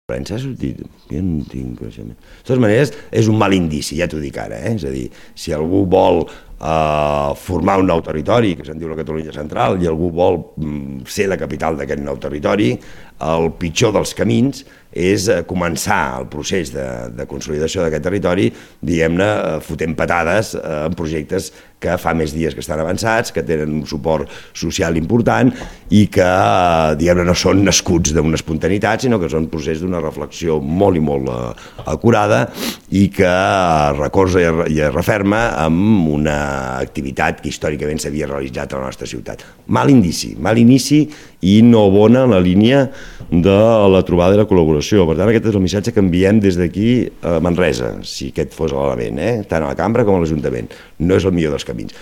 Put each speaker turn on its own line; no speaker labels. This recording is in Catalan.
S'ha sortit, jo no tinc coneixement. De totes maneres, és un mal indici, ja t'ho dic ara, és a dir, si algú vol formar un nou territori, que se'n diu la Catalunya Central, i algú vol ser la capital d'aquest nou territori, el pitjor dels camins és començar el procés de consolidació d'aquest territori, diguem-ne, fotent patades en projectes que fa més dies que estan avançats, que tenen un suport social important i que, diguem-ne, no són nascuts d'una espontaneïtat, sinó que són procés d'una reflexió molt i molt acurada i que recolza i es referma amb una activitat que històricament s'havia realitzat a la nostra ciutat. Mal inici i no bona en la línia de la trobada i la col·laboració. Per tant, aquest és el missatge que enviem des d'aquí a Manresa, si aquest fos l'element, tant a la cambra com a l'Ajuntament. No és el millor dels camins.